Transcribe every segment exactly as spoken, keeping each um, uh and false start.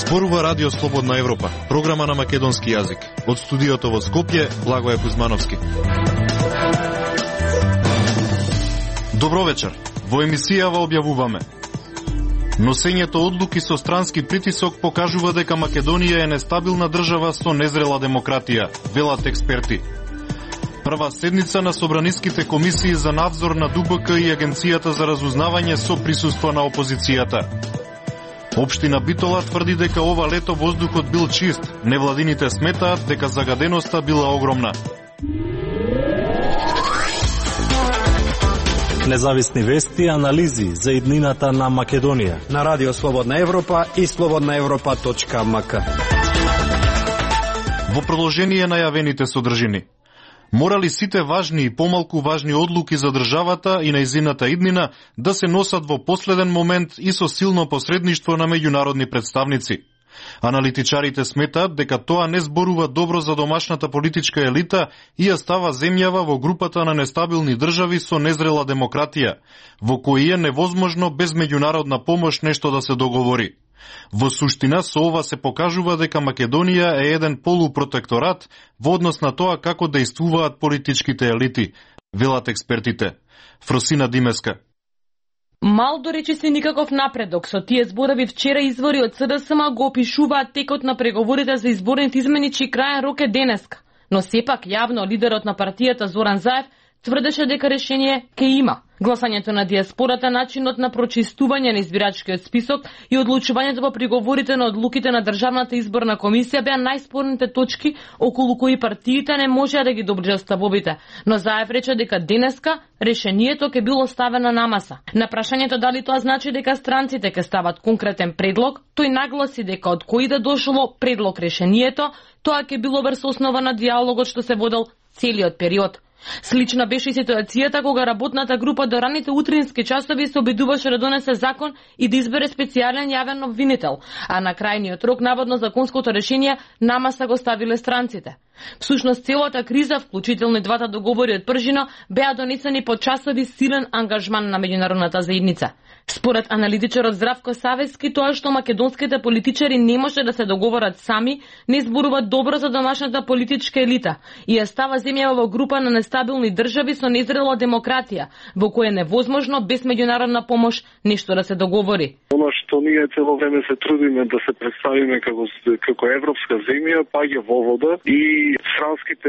Зборува Радио Слободна Европа, програма на македонски јазик. Од студиото во Скопје, Благоје Кузмановски. Добро вечер. Во емисијава објавуваме: носењето одлуки со странски притисок покажува дека Македонија е нестабилна држава со незрела демократија, велат експерти. Прва седница на собраниските комисии за надзор на Д У Б К и Агенцијата за разузнавање со присуство на опозицијата. Општина Битола тврди дека ова лето воздухот бил чист. Невладините сметаат дека загаденоста била огромна. Независни вести и анализи за иднината на Македонија на Радио Слободна Европа и слободна европа точка м к. Во продолжение на јавените содржини. Морали сите важни и помалку важни одлуки за државата и нејзината иднина да се носат во последен момент и со силно посредништво на меѓународни представници. Аналитичарите сметаат дека тоа не зборува добро за домашната политичка елита и ја става земјава во групата на нестабилни држави со незрела демократија, во кои е невозможно без меѓународна помош нешто да се договори. Во суштина со ова се покажува дека Македонија е еден полупротекторат во однос на тоа како дејствуваат политичките елити, велат експертите. Фросина Димеска. Мал до речиси никаков напредок. Со тие зборови вчера извори од С Д С М го опишуваат текот на преговорите за изборните измени, чиј крајен рок е денеска. Но сепак јавно лидерот на партијата Зоран Заев тврдеше дека решение ке има. Гласањето на диаспората, начинот на прочистување на избирачкиот список и одлучувањето по приговорите на одлуките на Државната изборна комисија беа најспорните точки околу кои партиите не можеа да ги доближат ставовите. Но Заев рече дека денеска решението ќе било ставено на маса. На прашањето дали тоа значи дека странците ќе стават конкретен предлог, тој нагласи дека од кој да дошло предлог решението, тоа ќе било врз основа на диалогот што се водел целиот период. Слична беше и ситуацијата кога работната група до раните утрински часови се обидуваше да донесе закон и да избере специјален јавен обвинител, а на крајниот рок наводно законското решение намаса го ставиле странците. Всушност целата криза, вклучително и двата договори од пржино, беа донесени по часови силен ангажман на меѓународната заедница. Според аналитичарот Здравко Савески, тоа што македонските политичари не може да се договорат сами, не зборува добро за домашната политичка елита и ја става земјава во група на нестабилни држави со незрела демократија, во која е невозможно без меѓународна помош нешто да се договори. Оно што ние цело време се трудиме да се представиме како како европска земја, паѓа во вода и странските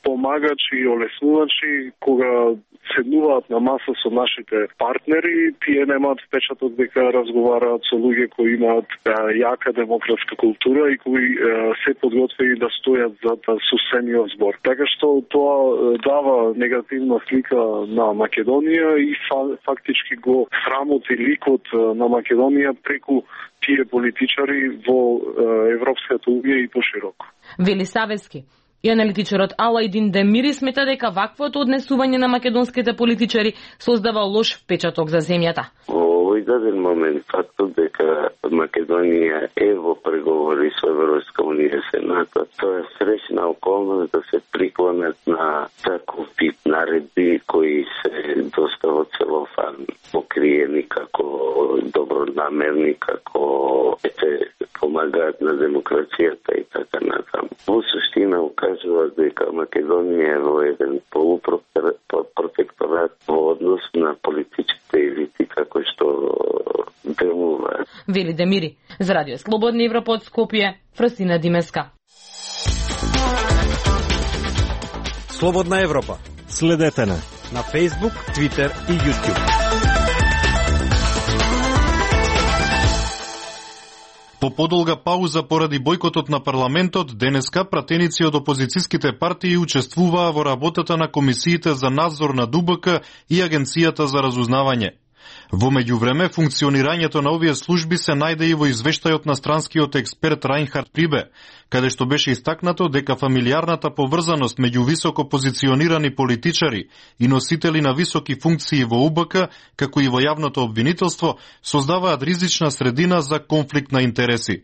помагачи и олеснувачи кога седнуваат на маса со нашите партнери, тие немаат впечаток дека разговараат со луѓе кои имаат а, јака демократска култура и кои а, се подготвени да стојат за сусениот збор. Така што тоа дава негативна слика на Македонија и фактички го срамоти ликот на Македонија преку тие политичари во Европската унија и пошироко. Вели Савески. И аналитичарот Алајдин Демири смета дека ваквото однесување на македонските политичари создава лош впечаток за земјата. Во овој даден момент фактот дека Македонија е во преговори со Европска унија се НАТО, тоа е среќна околност да се приклонат на таков тип наредби кои се доста во целофан покриени како добронамерни, како ете помагаат на демокрацијата и така натаму. Во суштина укажува дека Македонија е во еден полупротекторат во однос на политичките елити како што делуваат. Вели Демири. За Радио Слободна Европа од Скопје, Фросина Димеска. Слободна Европа. Следете на на Facebook, Twitter и YouTube. По подолга пауза поради бојкотот на парламентот, денеска пратеници од опозицијските партии учествуваа во работата на комисиите за надзор на Д У Б К и Агенцијата за разузнавање. Во меѓувреме, функционирањето на овие служби се најде и во извештајот на странскиот експерт Рајнхард Прибе, каде што беше истакнато дека фамилиарната поврзаност меѓу високо позиционирани политичари и носители на високи функции во У Б К, како и во јавното обвинителство, создаваат ризична средина за конфликт на интереси.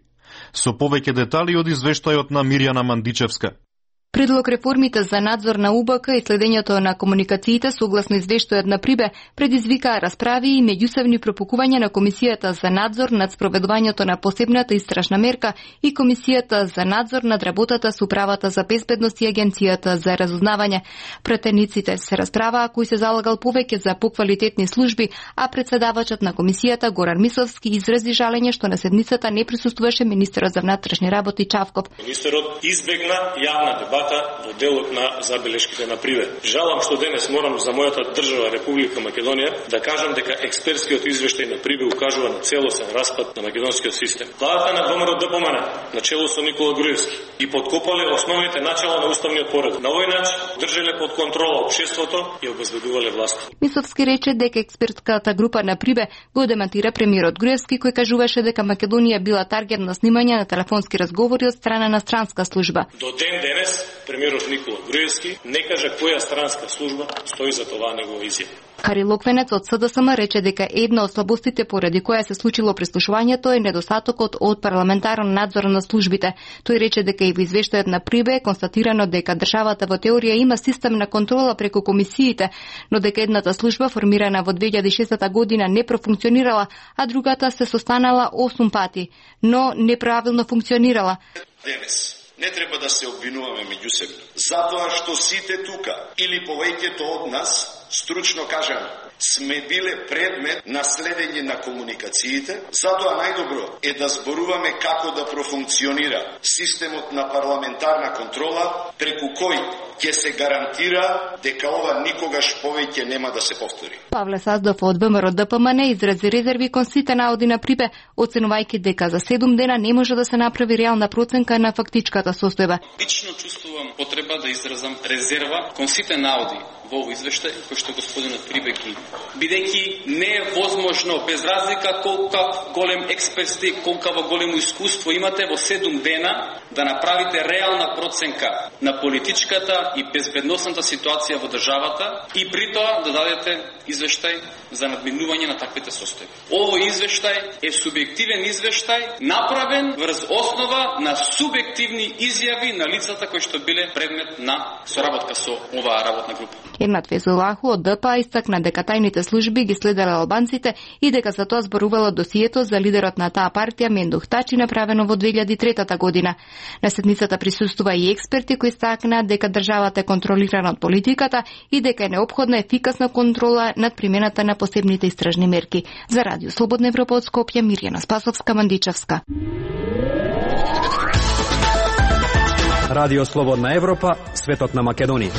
Со повеќе детали од извештајот на Мирјана Мандичевска. Предлог реформите за надзор на У Б К и следењето на комуникациите согласно извештајот на Прибе предизвикаа расправи и меѓусебни пропукувања на Комисијата за надзор над спроведувањето на посебната истражна мерка и Комисијата за надзор над работата со Управата за безбедност и Агенцијата за разузнавање. Претениците се расправаа кој се залагал повеќе за поквалитетни служби, а председавачот на Комисијата Горан Мисовски изрази жалење што на седницата не присуствуваше министерот за внатрешни работи Чавков. Министерот избегна јавна дебата во делот на забелешките на Прибе. Жалам што денес морам за мојата држава Република Македонија да кажам дека експертскиот извештај на Прибе укажува на целосен распад на македонскиот систем. Владата на ВМРО Д П М Н на чело со Никола Груевски и подкопале основните начала на уставниот поред. На овој начин држеле под контрола општеството и обезбедувале власт. Мисовски рече дека експертската група на Прибе го демантира премиерот Груевски кој кажуваше дека Македонија била таргет на снимање на телефонски разговори од страна на странска служба. До ден денес премиерот Никола Груевски не кажа која странска служба стои за тоа негова изјава. Хари Локвенец од С Д С М рече дека една од слабостите поради која се случило прислушувањето е недостатокот од парламентарен надзор на службите. Тој рече дека и во извештајот на Прибе е констатирано дека државата во теорија има систем на контрола преку комисиите, но дека едната служба формирана во две илјади и шеста година не профункционирала, а другата се состанала осум пати, но неправилно функционирала. Денес не треба да се обвинуваме меѓусебно, затоа што сите тука или повеќето од нас, стручно кажано, сме биле предмет на следење на комуникациите, затоа најдобро е да зборуваме како да профункционира системот на парламентарна контрола, преку кој ќе се гарантира дека ова никогаш повеќе нема да се повтори. Павле Саздов од Б М R Д П М Н изрази резерви кон сите наоди на Прибе, оценувајќи дека за седум дена не може да се направи реална проценка на фактичката состојба. Лично чувствувам потреба да изразам резерва кон сите наоди во овој извештај кој што господинот Прибе ги, бидејќи не е возможно без разлика колкав голем експерт сте, колкаво големо искуство имате во седум дена да направите реална проценка на политичката и безбедносната ситуација во државата и при тоа да дадете извештај за надминување на таквите состојби. Овој извештај е субјективен извештај направен врз основа на субјективни изјави на лицата кои што биле предмет на соработка со оваа работна група. Ернат Везулаху од Д П А истакна дека тајните служби ги следеле албанците и дека за тоа зборувало досието за лидерот на таа партија Мендух Тачи направено во две илјади и трета година. На седницата присуствува и експерти кои стакнаа дека државата е контролирана од политиката и дека е неопходна ефикасна контрола над примената на посебните истражни мерки. За Радио Слободна Европа од Скопје, Мирјана Спасовска, Мандичевска. Радио Слободна Европа, светот на Македонија.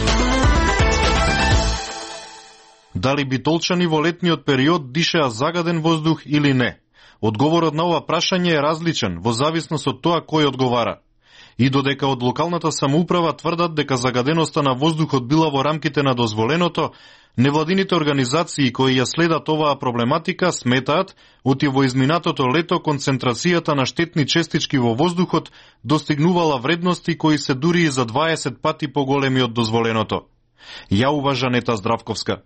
Дали битолчани во летниот период дишеа загаден воздух или не? Одговорот на ова прашање е различен во зависност од тоа кој одговара. И додека од локалната самоуправа тврдат дека загаденоста на воздухот била во рамките на дозволеното, невладините организации кои ја следат оваа проблематика сметаат оти во изминатото лето концентрацијата на штетни честички во воздухот достигнувала вредности кои се дури и за дваесет пати поголеми од дозволеното. Ја уважа Нета Здравковска.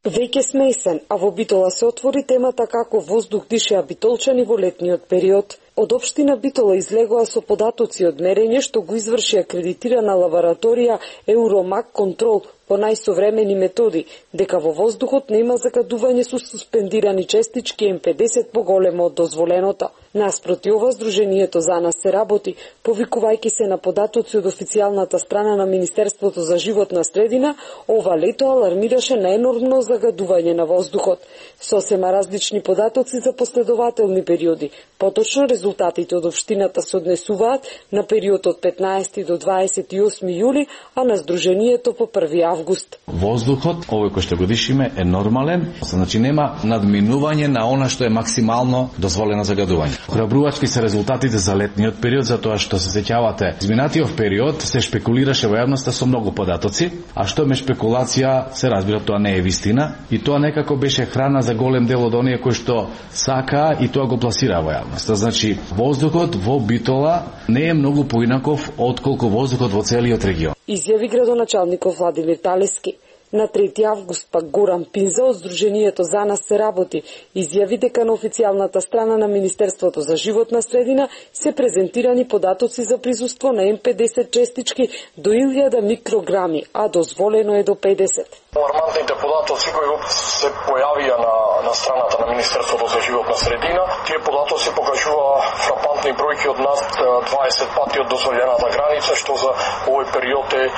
Веќе сме есен, а во Битола се отвори темата како воздух дишеа битолчани во летниот период. Од општина Битола излегоа со податоци од мерење што го изврши акредитирана лабораторија Евромак Контрол по најсовремени методи, дека во воздухот нема загадување со суспендирани честички М педесет поголемо од дозволеното. Наспроти ова, Сдруженијето за нас се работи, повикувајќи се на податоци од официјалната страна на Министерството за животна средина, ова лето алармираше на енормно загадување на воздухот. Сосема различни податоци за последователни периоди. Поточно резултатите од општината се однесуваат на период од петнаесети до дваесет и осми јули, а на Сдруженијето по први август. Воздухот, овој кој што го дишиме, е нормален, значи нема надминување на она што е максимално дозволено загадување. Храбрувачки се резултатите за летниот период, затоа што се сеќавате, изминатиот период се шпекулираше во јавноста со многу податоци, а што ме шпекулација, се разбира, тоа не е вистина, и тоа некако беше храна за голем дел од оние кои што сака и тоа го пласира во јавноста. Значи, воздухот во Битола не е многу поинаков отколку воздухот во целиот регион. Изјави градоначалникот Владимир Талески. На трети август пак Горан Пинза од Сдруженијето За нас се работи изјави дека на официјалната страна на Министерството за животна средина се презентирани податоци за присуство на М педесет честички до илјада микрограми, а дозволено е до педесет. Алармантните податоци кои се појавија на, на страната на Министерството за животна средина, тие податоци покажува фрапантни бројки од над дваесет пати од дозволената граница, што за овој период е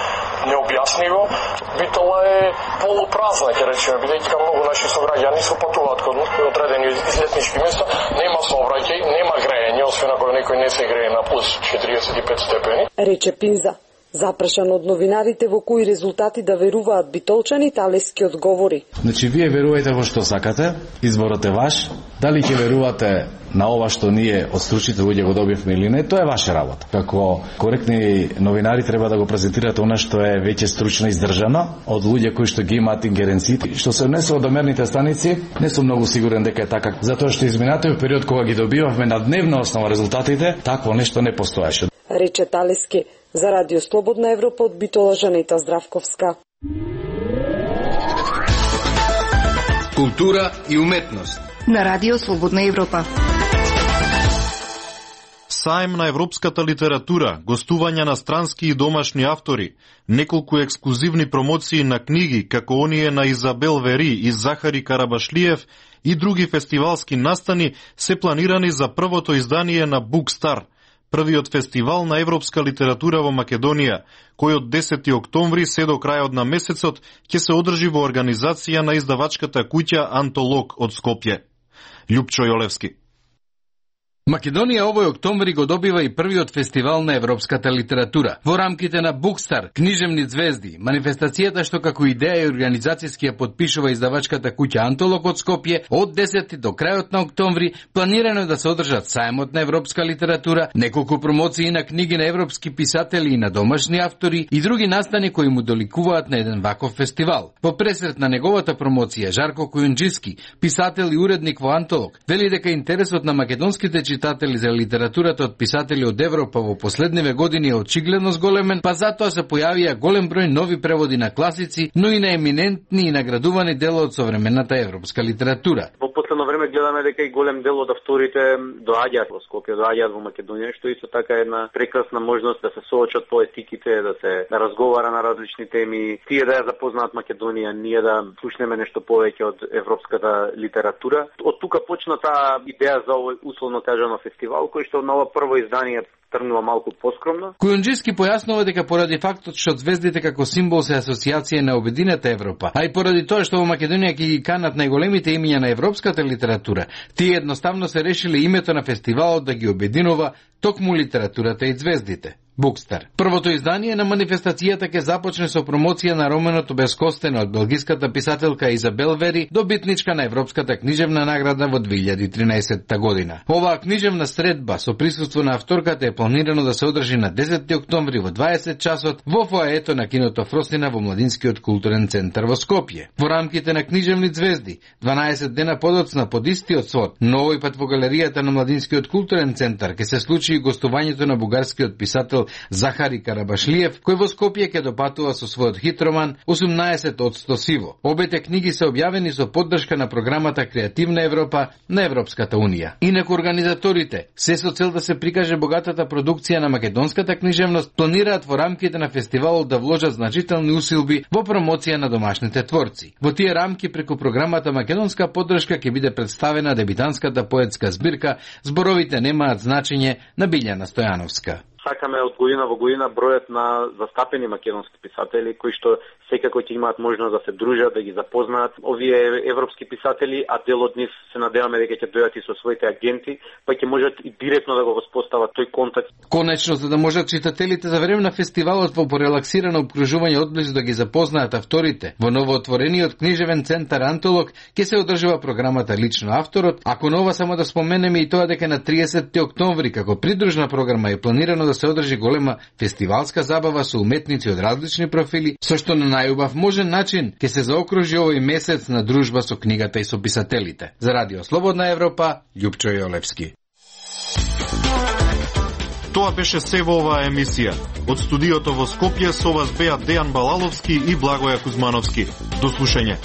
необјаснливо. Битола е полупразна, ќе речеме, бидејќи многу наши сограѓани се патуваат кон одредени излетнички места, нема сообраќај, нема грејење, освен ако некој не се грее на плюс четириесет и пет степени. Рече Пинза. Запрашан од новинарите во кои резултати да веруваат битолчани, Талески одговори. Значи, вие верувајте во што сакате, изборот е ваш. Дали ќе верувате на ова што ние од стручните луѓе го добивме или не, тоа е ваша работа. Како коректни новинари треба да го презентирате она што е веќе стручно издржано од луѓе кои што ги имаат ингеренциите. Што се однесува до мерните станици, не сум многу сигурен дека е така, затоа што изминатиот период кога ги добивавме на дневна основа резултатите, такво нешто не постоеше. Рече Талески. За Радио Слободна Европа од Битола Жанета Здравковска. Култура и уметност на Радио Слободна Европа. Саем на европската литература, гостувања на странски и домашни автори, неколку ексклузивни промоции на книги, како оние на Изабел Вери и Захари Карабашлиев и други фестивалски настани се планирани за првото издание на Book-Star, првиот фестивал на европска литература во Македонија, кој од десети октомври се до крајот на месецот ќе се одржи во организација на издавачката куќа Антолог од Скопје. Љупчо Јолевски. Македонија овој октомври го добива и првиот фестивал на европската литература. Во рамките на Book-Star, книжевни звезди, манифестацијата што како идеја и организацијски ја подпишува издавачката куќа Антолог од Скопје, од десети до крајот на октомври планирано е да се одржат сајмот на европска литература, неколку промоции на книги на европски писатели и на домашни автори и други настани кои му доликуваат на еден ваков фестивал. Во пресрет на неговата промоција, Жарко Кујунџиски, писател и уредник во Антолог, вели дека интересот на македонските читатели за литературата од писатели од Европа во последниве години е очигледно зголемен, па затоа се појавија голем број нови преводи на класици, но и на еминентни и наградувани дела од современата европска литература. Во последно време гледаме дека и голем дел од авторите доаѓаат во Скопје, доаѓаат во Македонија, што исто така е една прекрасна можност да се соочат поетиките, да се да разговара на различни теми, тие да ја запознаат Македонија, ние да слушнеме нешто повеќе од европската литература. Од тука почна таа идеја за овој условно кажано фестивал, кој што на ова прво издание тргнува малку поскромно. Кујунџиски појаснува дека поради фактот што звездите како символ се асоциација на обединета Европа, а и поради тоа што во Македонија ќе ги канат најголемите имиња на европската литература, тие едноставно се решиле името на фестивалот да ги обединува токму литературата и звездите. Book-Star. Првото издание на манифестацијата ќе започне со промоција на романот Обескостена од белгиската писателка Изабел Вери, добитничка на Европската книжевна награда во две илјади и тринаесетта година. Оваа книжевна средба со присуство на авторката е планирано да се одржи на десети октомври во дваесет часот во фоаето на киното Фростина во Младинскиот културен центар во Скопје. Во рамките на книжевни звезди, дванаесет дена подоцна под истиот свод, но овој пат во галеријата на Младинскиот културен центар ќе се случи и гостувањето на бугарскиот писател Захари Карабашлиев, кој во Скопје ќе допатува со својот хит роман осумнаесет одсто сиво. Обете книги се објавени со поддршка на програмата Креативна Европа на Европската унија. Инаку организаторите, се со цел да се прикаже богатата продукција на македонската книжевност, планираат во рамките на фестивалот да вложат значителни усилби во промоција на домашните творци. Во тие рамки преку програмата Македонска поддршка ќе биде представена дебитанската поетска збирка Зборовите немаат значење на Билјана Стојановска. Сакаме од година во година бројот на застапени македонски писатели кои што секако ќе имаат можност да се дружат, да ги запознаат овие европски писатели, а дел од нив се надеваме дека ќе дојдат и со своите агенти, па ќе можат и директно да го воспостават тој контакт. Конечно, за да можат читателите за време на фестивалот во порелаксирано обкружување одблизу да ги запознаат авторите, во новоотворениот книжевен центар Антолог ќе се одржува програмата Лично авторот, ако нова само да споменеме и тоа дека на триесетти октомври како придружна програма е планирано да се одржи голема фестивалска забава со уметници од различни профили, со што на најубав можен начин ќе се заокружи овој месец на дружба со книгата и со писателите. За Радио Слободна Европа, Љупчо Јолевски. Тоа беше се во оваа емисија. Од студиото во Скопје со вас беа Дејан Балаловски и Благоја Кузмановски. До слушање.